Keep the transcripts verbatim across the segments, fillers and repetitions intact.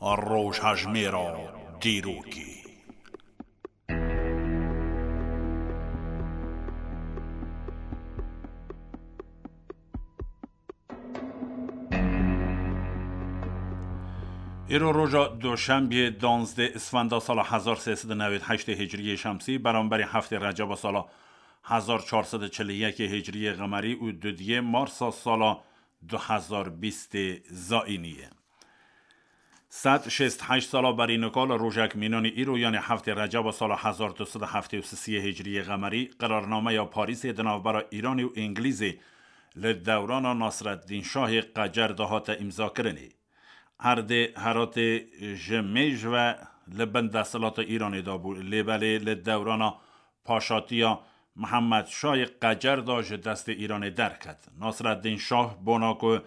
Rojhejmêra dîrokê. Îro roja Doşembiyê, danzdeh Isfenda sala hezar sê sed û newêd heştê Hicriyê Şemsî, beramberî heftê Receba sala hezar çar sed û çil û yekê Hicriyê Qemerî û dudiyê Marsa sala du hezar bîstê Zayînî ye. Sed şêst heşt sala berî nika li rojek mînanî îro, yanê heftê Receba sala hezar du sed û heftê û sisiyê Hicriyê Qemerî, qerarnameya Parîsê di navbera Îranê û Îngilîzê li dewrana Nasreddîn Şahê Qecer de hate îmzakirinê. Erdê Heratê ji mêj ve li bin desthilata Îranê de bû, lê belê li dewrana paşatiya Mihemed Şahê Qecer de ji destê Îranê derket. Nasreddîn Şah, bona ku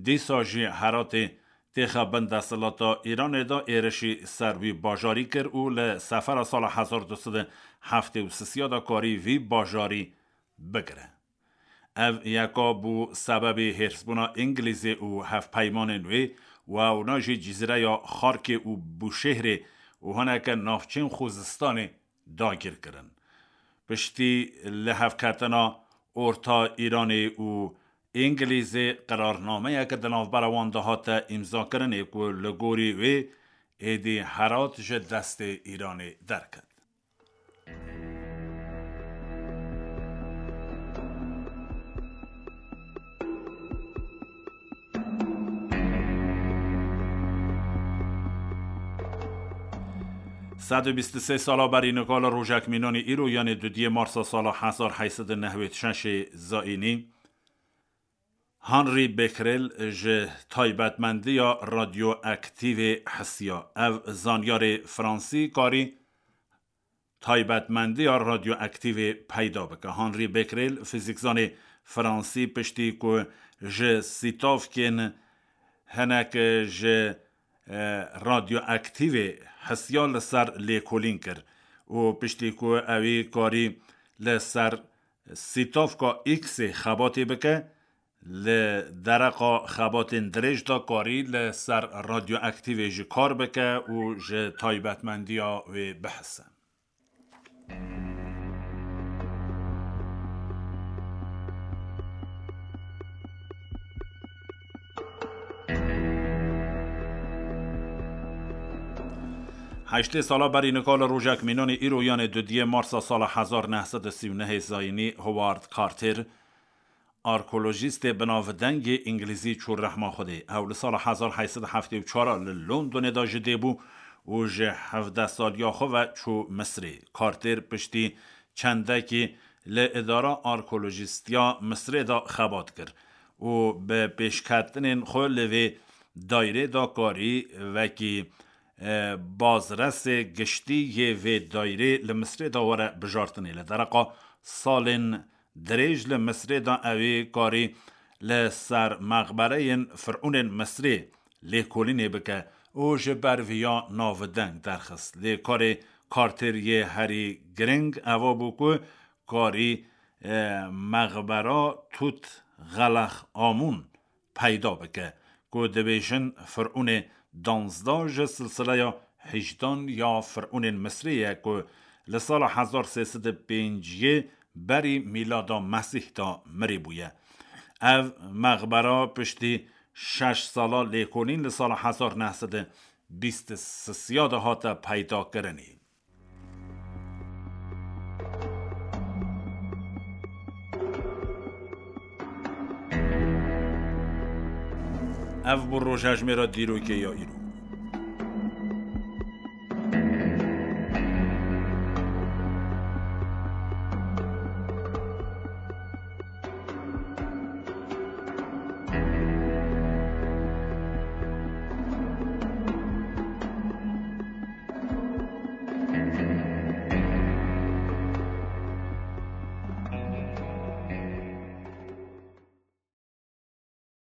dîsa jî Heratê têxe bin desthilata Îranê de, êrişî ser wî bajarî kir û li sefera sala hezar du sed û heftê û sisiya de karî vî bajarî bigire. Ev yeka bû sebebê hêrsbûna Îngilîzê û hevpeymanên wê û ewna jî cizîreya Xarkê û Bûşêhrê û hineke navçeyên Xuzistanê dagîr kirin. Piştî lihevketina orta Îranê û Îngilîzê, qerarnameyeke di navbera wan de hate îmzakirinê ku li gorî wê êdî Herat ji destê Îranê derket. Sed û bîst û sê sala berî nika li rojek mînanî îro, yanê dudiyê Marsa sala hezar heyt sed û nehwêd şeşê Zayînî, Henri Becquerel ji taybetmendiya radyoaktîvê hisiya. Ev zanyarê Fransî karî taybetmendiya radyoaktîvê peyda bike. Henri Becquerel, fîzîkzanê Fransî, piştî ku ji sîtavkên hinek ji, e, radyoaktîvê hisiya, li ser lêkolîn kir û piştî ku ewî karî li ser sîtavka X-ê xebatê bike, li dereqa xebatên dirêj de karî li ser radyoaktîvê jî kar bike û ji taybetmendiya wê bihise. Heştê sala berî nika li rojek mînanî îro, yanê dudiyê Marsa sala hezar neh sed û sî û nehê Zayînî, Howard Carter, arkeolojîstê binavdengê îngilîzî çû rehma Xwedê. Ew li sala hezar heyt sed û heftê û çar li Londonê de ji dê bû û ji hevdeh saliya xwe ve çû Misirê. Carter piştî çendekî li îdara arkeolojîstiya Misirê de xebat kir û bi pêşketinên xwe li vê daîrê de karî wekî, e, bazresê giştî yê vê daîrê li Misirê de were bijartinê. Li dereqa salên dirêj li Misirê de ewî karî li ser mexbereyên firûnên Misirê lêkolînê bike û ji ber viya navdeng derxist. Lê karê Carter yê herî giring eva bû ku karî, e, mexbera Tut Xelex Amûn peyda bike, ku dibêjin firûnê danzdeh ji silsileya hejdan ya firûnên Misrê ye, ku li sala hezar sê sed û pêncî berî mîlada Mesîh de mirî bûye. Ev mexbera piştî şeş sala lêkolîn li sala hezar neh sed û bîst û sisiya de hate peydakirinê. Ev bû rojhejmêra dîrokê ya îro.